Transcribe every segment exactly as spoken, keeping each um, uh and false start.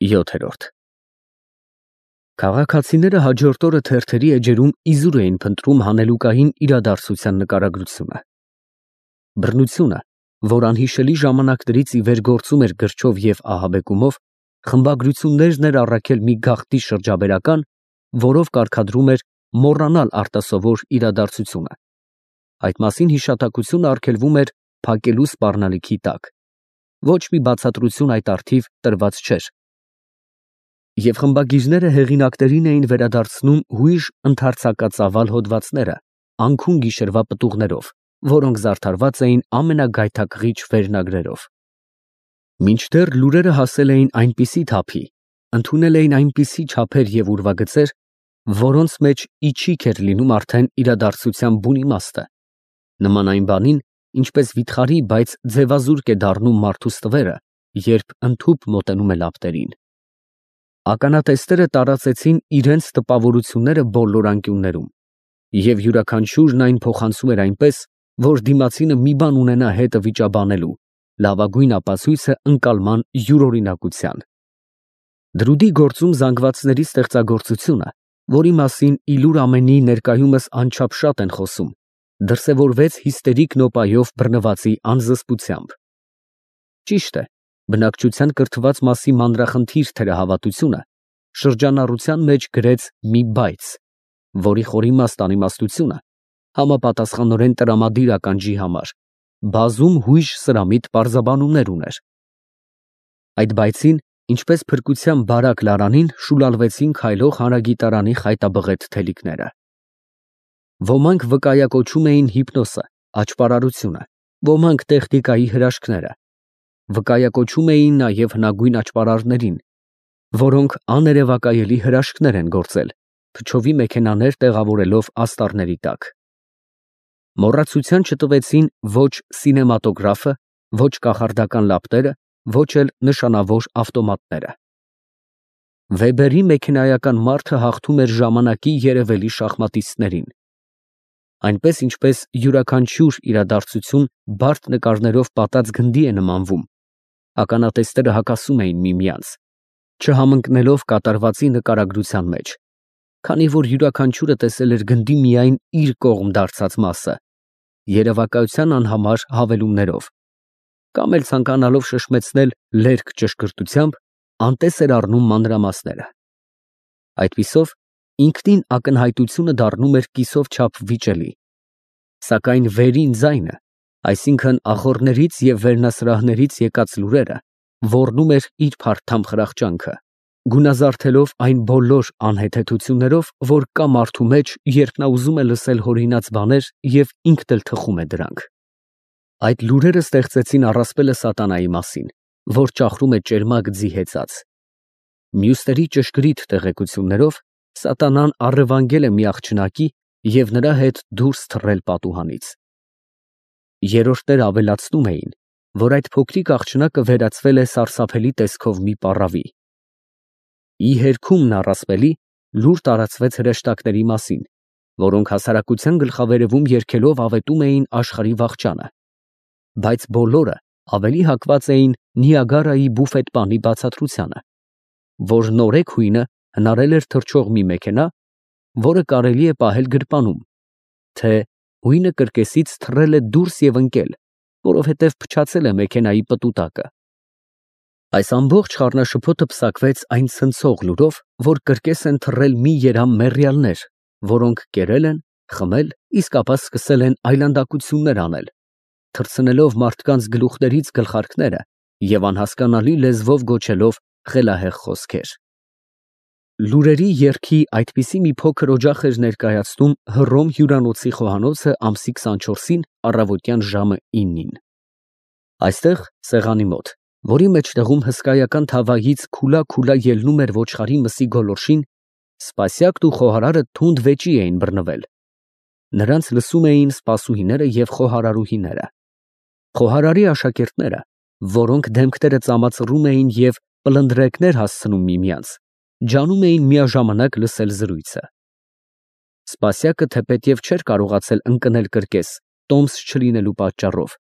յոթերորդ Քաղաքացիները հաջորդ օրը թերթերի էջերում իզուր էին փնտրում հանելուկային իրադարձության նկարագրությունը։ Բռնությունը, որ անհիշելի ժամանակներից ի վեր գործում էր գրչով և ահաբեկումով, խմբագրություններն էր առաքել մի գաղտնի շրջաբերական, որով կարգադրում էր մոռանալ արտասովոր իրադարձությունը։ Այդ մասին հիշատակություն արգելվում էր փակելու սպառնալիքի տակ։ Ոչ մի բացատրություն այդ առթիվ տրված չէր։ Եվ խմբագիրները հեղինակներին էին վերադարձնում հույժ ընդարձակածավալ հոդվածները, անքուն գիշերվա պտուղներով, որոնք զարդարված էին ամենագայթակղիչ վերնագրերով։ Մինչդեռ լուրերը հասել էին այնպիսի թափի, ընդունել էին այնպիսի չափեր և ուրվագծեր, որոնց մեջ իչիք էր լինում արդեն իրադարձության բուն իմաստը, նման այն բանին, ինչպես վիթխարի, բայց ձևազուրկ է դառնում մարդու ստվերը, երբ ընդհուպ մոտենում է լապտերին։ Ականատեսները տարածեցին իրենց տպավորությունները բոլոր անկյուններում, և յուրաքանչյուրն այն փոխանցում էր այնպես, որ դիմացինը մի բան ունենա հետը վիճաբանելու, լավագույն ապացույցը ընկալման յուրօրինակության։ Դրուդի գործում զանգվածների ստեղծագործությունը, որի մասին իլուր ամենի ներկայումս անչափ շատ են խոսում, դրսևորվեց հիստերիկ նոպայով բռնվածի անզսպությամբ։ Ճիշտ է, բնակչության կրթված մասի մանրախնդիր թերահավատությունը շրջանառության մեջ գրեց մի բայց, որի խորիմաստ անիմաստությունը համապատասխանորեն տրամադիր ականջի համար բազում հույժ սրամիտ պարզաբանումներ ուներ։ Այդ բայցին, ինչպես փրկության բարակ լարանին, շուլալվեցին քայլող հանրագիտարանի խայտաբղետ թելիկները։ Ոմանք վկայակոչում էին հիպնոսը, աճպարարությունը, ոմանք տեխնիկայի հրաշքները, վկայակոչում էին նաև հնագույն աճպարարներին, որոնք աներևակայելի հրաշքներ են գործել, փչովի մեքենաներ տեղավորելով աստառների տակ։ Մոռացության չտվեցին ոչ սինեմատոգրաֆը, ոչ կախարդական լապտերը, ոչ էլ նշանավոր ավտոմատները։ Վեբերի մեքենայական մարդը հաղթում էր ժամանակի երևելի շախմատիստներին։ Այնպես ինչպես յուրաքանչյուր իրադարձություն բարդ նկարներով պատած գնդի է նմանվում, ականատեսները հակասում էին միմյանց, չհամընկնելով կատարվածի նկարագրության մեջ, քանի որ յուրաքանչյուրը տեսել էր գնդի միայն իր կողմ դարձած մասը, երևակայության անհամար հավելումներով, կամ էլ ցանկանալով շշմեցնել լերկ ճշգրտությամբ, անտես էր առնում մանրամասները։ Այդպիսով ինքնին ակնհայտությունը դառնում էր կիսով չափ վիճելի, սակայն վերին ձայնը, այսինքն ախոռներից և վերնասրահներից եկած լուրերը, ոռնում էր իր փարթամ խրախճանքը, գունազարդելով այն բոլոր անհեթեթություններով, որ կա մարդու մեջ, երբ նա ուզում է լսել հորինած բաներ և ինքն էլ թխում է դրանք։ Այդ լուրերը ստեղծեցին առասպելը սատանայի մասին, որ ճախրում է ճերմակ ձի հեծած։ Մյուսների ճշգրիտ տեղեկություններով սատանան առևանգել է մի աղջնակի և նրա հետ դուրս թռել պատուհանից։ Երրորդները ավելացնում էին, որ այդ փոքրիկ աղջնակը վերածվել է սարսափելի տեսքով մի պառավի։ Ի հերքումն առասպելի լուր տարածվեց հրեշտակների մասին, որոնք հասարակության գլխավերևում երգելով ավետում էին աշխարհի վախճանը, բայց բոլորը ավելի հակված էին Նիագարայի բուֆետպանի բացատրությանը, որ նորեկ հույնը հնարել էր թռչող մի մեքենա, որը կարելի է պահել գրպանում, թե հույնը կրկեսից թռել է դուրս և ընկել, որովհետև փչացել է մեքենայի պտուտակը։ Այս ամբողջ խառնաշփոթը պսակվեց այն ցնցող լուրով, որ կրկես են թռել մի երամ մեռյալներ, որոնք կերել են, խմել, իսկ ապա սկսել են այլանդակություններ անել, թռցնելով մարդկանց գլուխներից գլխարկները և անհասկանալի լեզվով գոչելով խելահեղ խոսքեր։ Լուրերի երգի այդպիսի մի փոքր օջախ էր ներկայացնում Հռոմ հյուրանոցի խոհանոցը ամսի քսանչորսին առավոտյան ժամը իննին։ Այստեղ, սեղանի մոտ, որի մեջտեղում հսկայական թավայից քուլա֊քուլա ելնում էր ոչխարի մսի գոլորշին, Սպասյակն ու խոհարարը թունդ վեճի էին բռնվել։ Նրանց լսում էին սպասուհիները և խոհարարուհիները։ Խոհարարի աշակերտները, որոնք դեմքները ծամածռում էին և պլնդրեկներ հասցնում միմյանց, ջանում էին միաժամանակ լսել զրույցը։ Սպասյակը թեպետև չէր կարողացել ընկնել կրկես, տոմս չլինելու պատճառով,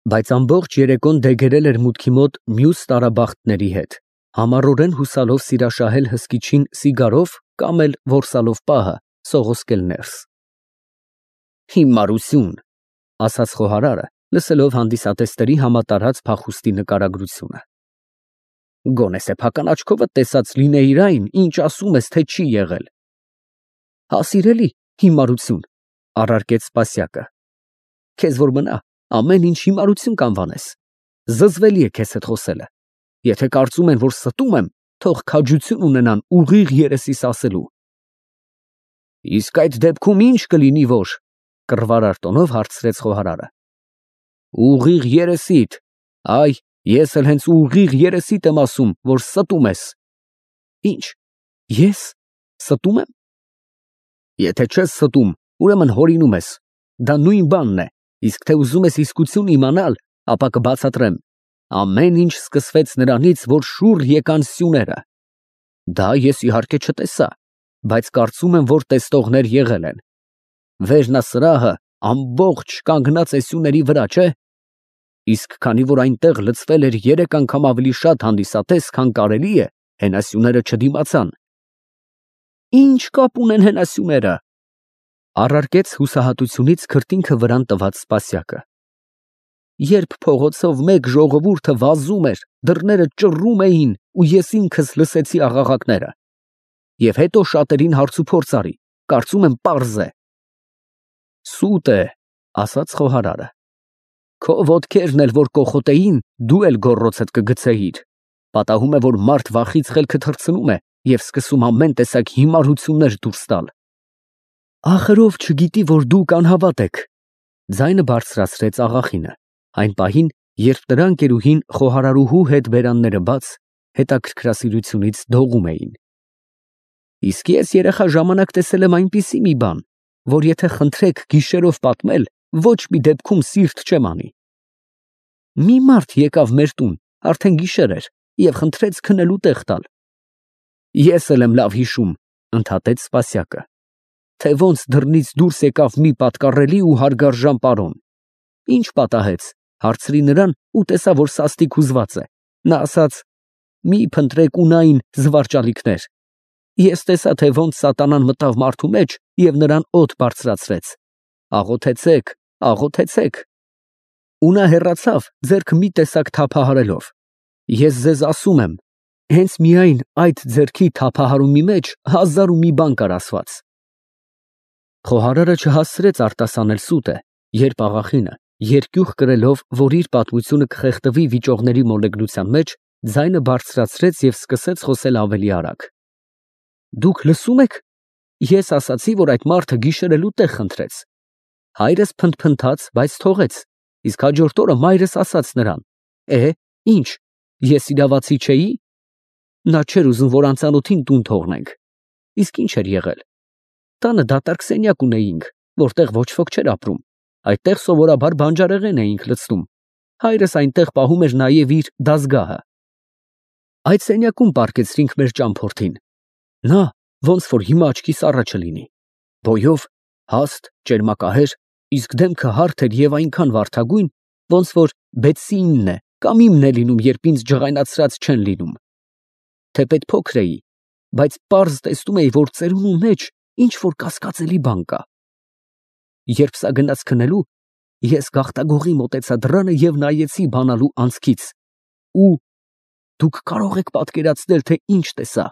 բայց ամբողջ երեկոն դեգերել էր մուտքի մոտ մյուս տարաբախտների հետ, Համառորեն հուսալով սիրաշահել հսկիչին սիգարով կամ էլ որսալով պահը սողոսկել ներս։ Հիմարություն, ասաց խոհարարը, լսելով հանդիսատեսների համատարած փախուստի նկարագրությունը։ Գոնե սեփական աչքովդ տեսած լինեիր այն, ինչ ասում ես, թե չի եղել։ Հասիրելի, հիմարություն, առարկեց Սպասյակը։ Քեզ որ մնա, ամեն ինչ հիմարություն կանվանես։ Զզվելի է քեզ հետ խոսելը։ Եթե կարծում են, որ ստում եմ, թող քաջություն ունենան ուղիղ երեսիս ասելու։ Իսկ այդ դեպքում ինչ կլինի, որ, կռվարար տոնով հարցրեց խոհարարը։ Ուղիղ երեսիդ, այ, ես էլ հենց ուղիղ երեսիդ եմ ասում, որ ստում ես։ Ինչ, ես ստում եմ։ Եթե չես ստում, ուրեմն հորինում ես։ Դա նույն բանն է, իսկ թե ուզում ես իսկություն իմանալ, ապա կբացատրեմ։ Ամեն ինչ սկսվեց նրանից, որ շուռ եկան սյուները։ Դա ես իհարկե չտեսա, բայց կարծում եմ, որ տեսնողներ եղել են։ Վերնասրահը ամբողջ կանգնած է սյուների վրա, չէ՞։ Իսկ քանի որ այնտեղ լցվել էր երեք անգամ ավելի շատ հանդիսատես, քան կարելի է, հենասյուները չդիմացան։ Ինչ կապ ունեն հենասյուները, առարկեց հուսահատությունից քրտինքը վրան տված Սպասյակը։ Երբ փողոցով մեկ ժողովուրդը վազում էր, դռները ճռռում էին, ու ես ինքս լսեցի աղաղակները։ Եվ հետո շատերին հարցուփորձ արի, կարծում եմ պարզ է։ Սուտ է, ասաց խոհարարը։ Քո ոտքերն էլ որ կոխոտեին, դու էլ գոռոցդ կգցեիր։ Պատահում է, որ մարդ վախից խելքը թռցնում է և սկսում ամեն տեսակ հիմարություններ դուրս տալ։ Ախր ով չգիտի, որ դուք անհավատ եք, ձայնը բարձրացրեց աղախինը, այն պահին, երբ տրանկերուհին խոհարարուհու հետ բերանները բաց, հետաքրքրասիրությունից դողում էին։ Իսկ ես երեխա ժամանակ տեսել եմ այնպիսի մի բան, որ եթե խնդրեք գիշերով պատմել, ոչ մի դեպքում սիրտ չեմ անի։ Մի մարդ եկավ մեր տուն, արդեն գիշեր էր, և խնդրեց քնելու տեղ տալ։ Ես էլ եմ լավ հիշում, ընդհատեց Սպասյակը, թե ոնց դռնից դուրս եկավ մի պատկառելի ու հարգարժան պարոն։ Ինչ պատահեց, հարցրի նրան ու տեսա, որ սաստիկ հուզված է։ Նա ասաց. մի փնտրեք ունային զվարճալիքներ։ Ես տեսա, թե ոնց սատանան մտավ մարդու մեջ և նրան օդ բարձրացրեց։ Աղոթեցեք, աղոթեցեք։ Ու նա հեռացավ, ձեռքը մի տեսակ թափահարելով։ Ես ձեզ ասում եմ, հենց միայն այդ ձեռքի թափահարումի մեջ հազար ու մի բան կար ասված։ Խոհարարը չհասցրեց արտասանել սուտ է, երբ աղախինը, երկյուղ կրելով, որ իր պատմությունը կխեղդվի վիճողների մոլեգնության մեջ, ձայնը բարձրացրեց և սկսեց խոսել ավելի արագ։ Դուք լսում եք։ Ես ասացի, որ այդ մարդը գիշերելու տեղ խնդրեց։ Հայրս փնթփնթաց, բայց թողեց, իսկ հաջորդ օրը մայրս ասաց նրան. Է, ինչ, ես իրավացի չէի։ Նա չէր ուզում, որ անծանոթին տուն թողնենք։ Իսկ ինչ էր եղել։ Տանը դատարկ սենյակ ունեինք, որտեղ ոչ ոք չէր ապրում։ Այդտեղ սովորաբար բանջարեղեն էինք լցնում։ Հայրս այնտեղ պահում էր նաև իր դազգահը։ Այդ սենյակում պառկեցրինք մեր ճամփորդին։ Նա, ոնց որ հիմա աչքիս առաջը լինի, բոյով, հաստ, ճերմակահեր, իսկ դեմքը հարթ էր և այնքան վարդագույն, ոնց որ Բեթսիինն է կամ իմն է լինում, երբ ինձ ջղայնացրած չեն լինում։ Թեպետ փոքր էի, բայց պարզ տեսնում էի, որ ծերունու մեջ ինչ որ կասկածելի բան կա։ Երբ սա գնաց քնելու, ես գաղտագողի մոտեցա դռանը և նայեցի բանալու անցքից։ Ու դուք կարող եք պատկերացնել, թե ինչ տեսա։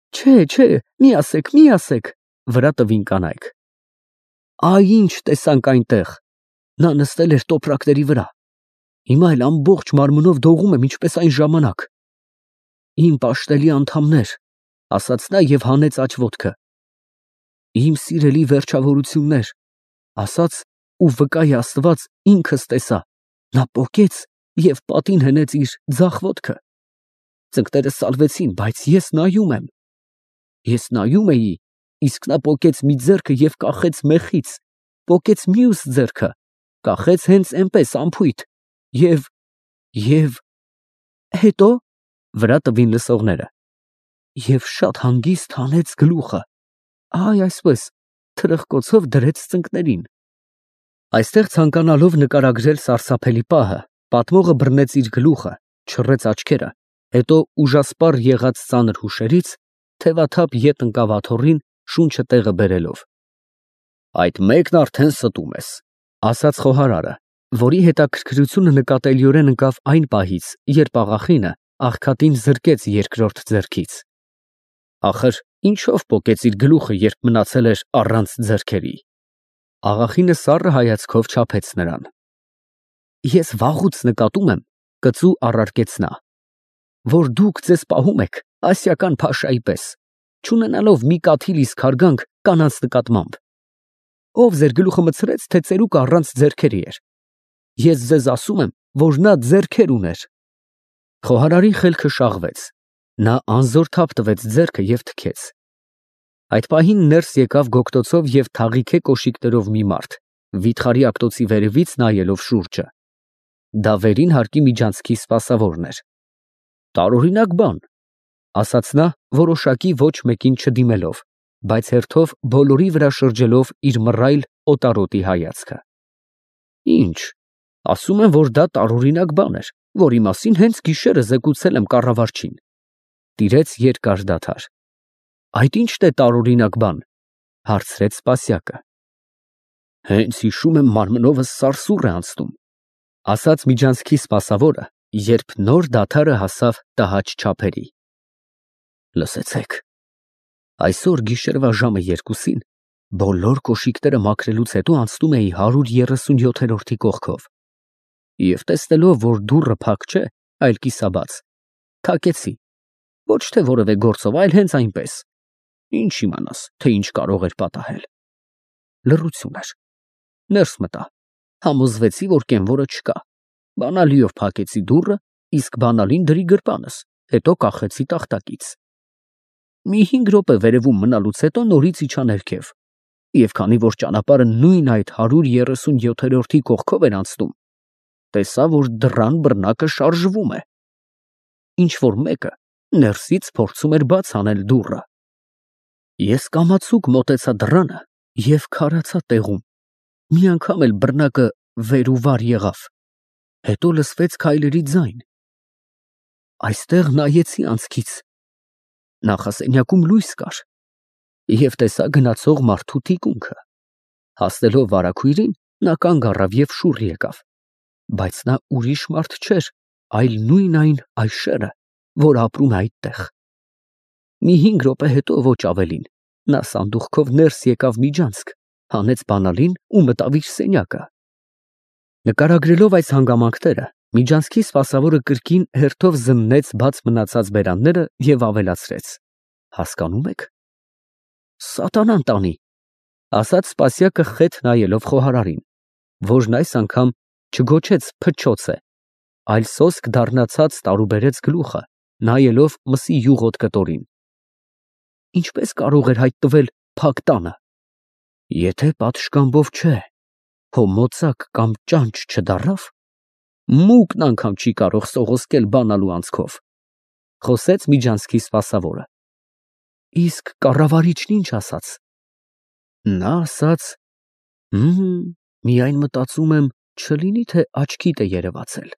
Չէ, չէ, մի ասեք, մի ասեք, վրա տվին կանայք։ Այ ինչ տեսանք այնտեղ։ Նա նստել էր տոպրակների վրա։ Հիմա էլ ամբողջ մարմնով դողում եմ, ինչպես այն ժամանակ։ Իմ պաշտելի անդամներ, ասաց նա և հանեց աջ ոտքը։ Իմ սիրելի վերջավորություններ, ասաց ու վկայի Աստված ինքս տեսա։ Նա պոկեց և պատին հենեց իր ձախ ոտքը։ Ծնկներս սալվեցին, բայց ես նայում եմ։ Ես նայում էի, իսկ նա պոկեց մի ձեռքը և կախեց մեխից, պոկեց մյուս ձեռքը, կախեց հենց այնպես անփույթ, և, և, հետո, վրա տվին լսողները, և շատ հանգիստ հանեց գլուխը, այ այսպես, թրխկոցով դրեց ծնկներին։ Այստեղ ցանկանալով նկարագրել սարսափելի պահը, պատմողը բռնեց իր գլուխը, չռեց աչքերը Հետո ուժասպառ եղած ծանր հուշերից թևաթափ ետ ընկավ աթոռին, շունչը տեղը բերելով։ Այդ մեկն արդեն ստում ես, ասաց խոհարարը, որի հետաքրքրությունը նկատելիորեն ընկավ այն պահից, երբ աղախինը աղքատին զրկեց երկրորդ ձեռքից։ Ախր ինչով պոկեց իր գլուխը, երբ մնացել էր առանց ձեռքերի։ Աղախինը սառը հայացքով չափեց նրան։ Ես վաղուց նկատում եմ, կծու առարկեց նա, որ դուք ձեզ պահում եք ասիական փաշայի պես, չունենալով մի կաթիլ իսկ հարգանք կանանց նկատմամբ։ Ով ձեր գլուխը մտցրեց, թե ծերուկը առանց ձեռքերի էր։ Ես ձեզ ասում եմ, որ նա ձեռքեր ուներ։ Խոհարարի խելքը շաղվեց, նա անզոր թափ տվեց ձեռքը և թքեց։ Այդ պահին ներս եկավ գոգտոցով և թաղիքե կոշիկներով մի մարդ, վիթխարի ակտոցի վերևից նայելով շուրջը։ Դա վերին հարկի միջանցքի սպասավորն էր։ Տարօրինակ բան, ասաց նա, որոշակի ոչ մեկին չդիմելով, բայց հերթով բոլորի վրա շրջելով իր մռայլ օտարոտի հայացքը։ Ինչ, ասում եմ, որ դա տարօրինակ բան էր, որի մասին հենց գիշերը զեկուցել եմ կառավարչին։ Տիրեց երկար դադար։ Այդ ի՞նչն է տարօրինակ բան, հարցրեց սպասյակը։ Հենց հիշում եմ, մարմնովս սարսուռ է անցնում, ասաց միջանցքի սպասավորը, երբ նոր դադարը հասավ տհաճ չափերի։ Լսեցեք, այսօր գիշերվա ժամը երկուսին բոլոր կոշիկները մաքրելուց հետո անցնում էի հարյուր երեսունյոթերորդի կողքով և տեսնելով, որ դուռը փակ չէ, այլ կիսաբաց, թակեցի, ոչ թե որևէ գործով, այլ հենց այնպես, ինչ իմանաս, թե ինչ կարող էր պատահել։ Լռություն էր, ներս մտա, համոզվեցի, որ կենվորը չկա, բանալիով փակեցի դուռը, իսկ բանալին դրի գրպանս, հետո կախեցի տախտակից։ Մի հինգ րոպե վերևում մնալուց հետո նորից իջա ներքև, և քանի որ ճանապարհը նույն այդ հարյուր երեսունյոթերորդի կողքով էր անցնում, տեսա, որ դռան բռնակը շարժվում է։ Ինչ-որ մեկը ներսից փորձում էր բաց անել դուռը։ Ես կամացուկ մոտեցա դռանը և քարացա տեղում, մի անգամ էլ բռնակը վեր ու վար եղավ, հետո լսվեց քայլերի ձայն։ Այստեղ նայեցի անցքից, նախասենյակում լույս կար և տեսա գնացող մարդու թիկունքը։ Հասնելով վարագույրին, նա կանգ առավ և շուռ եկավ, բայց նա ուրիշ մարդ չէր, այլ նույն այն Այշերը, որ ապրում է այդտեղ։ Մի հինգ րոպե հետո, ոչ ավելին, նա սանդուղքով ներս եկավ միջանցք, հանեց բանալին ու մտավ իր սենյակը։ Նկարագրելով այս հանգամանքները, միջանցքի սպասավորը կրկին հերթով զննեց բաց մնացած բերանները և ավելացրեց. Հասկանում եք։ Սատանան տանի, ասաց սպասյակը խետ նայելով խոհարարին, որն այս անգամ չգոչեց փչոց է, այլ սոսկ դառնացած տարուբերեց գլուխը, նայելով մսի յուղոտ կտորին։ Ինչպես կարող էր հայտնվել փակ տանը։ Եթե պատշգամբով չէ, հո մոծակ կամ ճանճ չդառավ, մուկն անգամ չի կարող սողոսկել բանալու անցքով, խոսեց միջանցքի սպասավորը։ Իսկ կառավարիչն ինչ ասաց։ Նա ասաց. «Հմ, միայն մտածում եմ, չլինի թե աչքիդ է երևացել։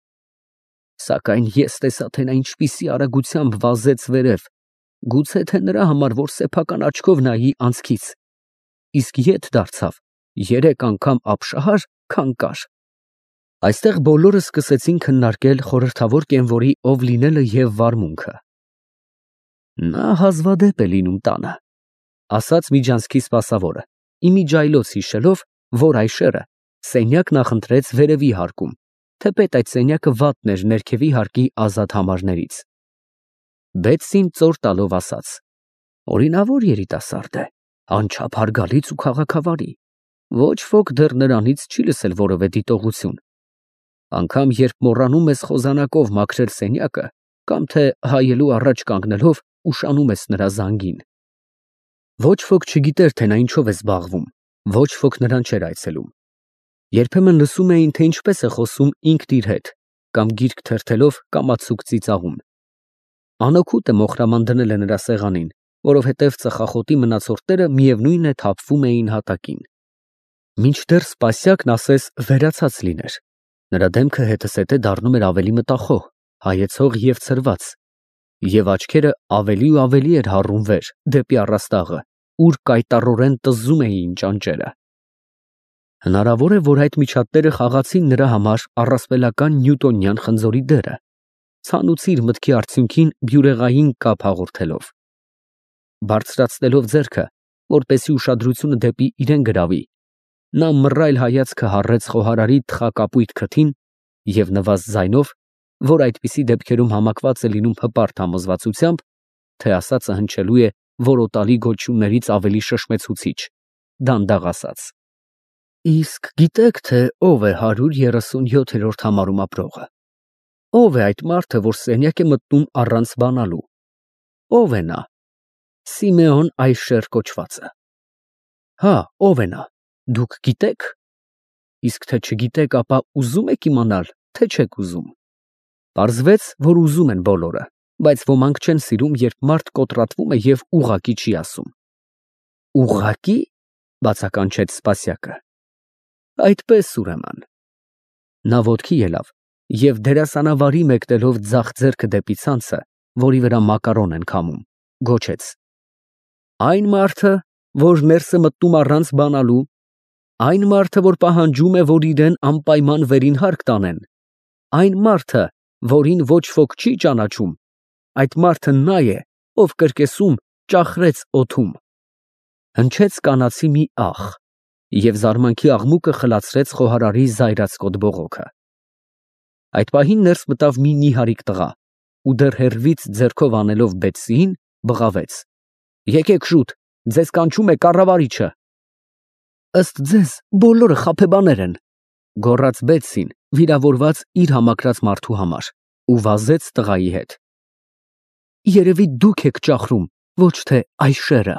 Սակայն ես տեսա, թե նա ինչպիսի արագությամբ վազեց վերև, գուցե թե նրա համար, որ սեփական աչքով նայի անցքից, իսկ ետ դարձավ, երեք անգամ ապշահար, քան կար»։ Այստեղ բոլորը սկսեցին քննարկել խորհրդավոր կենվորի ով լինելը և վարմունքը։ Նա հազվադեպ է լինում տանը, ասաց միջանցքի սպասավորը, իմիջիայլոց հիշելով, որ Այշերը սենյակ նախընտրեց վերևի հարկում, թեպետ այդ սենյակը վատն էր ներքևի հարկի ազատ համարներից։ Բեթսին ծոր տալով ասաց. Օրինավոր երիտասարդ է, անչափ հարգալից ու քաղաքավարի, ոչ ոք դեռ նրանից չի լսել որևէ դիտողություն։ Անգամ երբ մոռանում ես խոզանակով մաքրել սենյակը, կամ թե հայելու առաջ կանգնելով ուշանում ես նրա զանգին։ Ոչ ոք չգիտեր, թե նա ինչով է զբաղվում, ոչ ոք նրան չէր այցելում։ Երբեմն լսում էին, թե ինչպես է խոսում ինքն իր հետ, կամ գիրք թերթելով կամացուկ ծիծաղում։ Անօգուտ է մոխրաման դնել է նրա սեղանին, որովհետև ծխախոտի մնացորդները միևնույն է թափվում էին հատակին։ Մինչդեռ սպասյակն ասես վերացած լիներ, նրա դեմքը հետզհետե դառնում էր ավելի մտախոհ, հայեցող և ցրված, Եվ աչքերը ավելի ու ավելի էր հառում վեր, դեպի առաստաղը, ուր կայտառորեն տզում էին ճանճերը։ Հնարավոր է, որ այդ միջատները խաղացին նրա համար առասպելական նյուտոնյան խնձորի դերը, ցանուցիր մտքի արդյունքին բյուրեղային կապ հաղորդելով։ Բարձրացնելով ձեռքը, որպեսի ուշադրությունը դեպի իրեն գրավի, նա մռայլ հայացքը հառեց խոհարարի թխակապույտ քթին և նվազ ձայնով, որ այդպիսի դեպքերում համակված է լինում հպարտ համոզվածությամբ, թե ասածը հնչելու է որոտալի գոչյուններից ավելի շշմեցուցիչ, դանդաղ ասաց. Իսկ գիտեք, թե ով է հարյուր երեսունյոթերորդ համարում ապրողը։ Ով է այդ մարդը, որ սենյակ է մտնում առանց բանալու։ Ով է նա։ Սիմեոն Այշեր կոչվածը։ Հա, ով է նա։ Դուք գիտեք։ Իսկ թե չգիտեք, ապա ուզում եք իմանալ, թե չեք ուզում։ Պարզվեց, որ ուզում են բոլորը, բայց ոմանք չեն սիրում, երբ մարդ կոտրատվում է և ուղղակի չի ասում։ Ուղղակի, բացականչեց Սպասյակը։ Այդպես ուրեմն։ Նա ոտքի ելավ և դերասանավարի մեկնելով ձախ ձեռքը դեպի ցանցը, որի վրա մակարոն են քամում, գոչեց. Այն մարդը, որ ներս է մտնում առանց բանալու, այն մարդը, որ պահանջում է, որ իրեն անպայման վերին հարկ տանեն, այն մարդը, որին ոչ ոք չի ճանաչում, այդ մարդը նա է, ով կրկեսում ճախրեց օդում։ Հնչեց կանացի մի ախ, և զարմանքի աղմուկը խլացրեց խոհարարի զայրացկոտ բողոքը։ Այդ պահին ներս մտավ մի նիհարիկ տղա ու դեռ հեռվից ձեռքով անելով Բեթսիին, բղավեց. Եկեք շուտ, ձեզ կանչում է կառավարիչը։ Ըստ ձեզ բոլորը խաբեբաներ են, գոռաց Բեթսին, վիրավորված իր համակրած մարդու համար, ու վազեց տղայի հետ։ Երևի դուք եք ճախրում, ոչ թե Այշերը։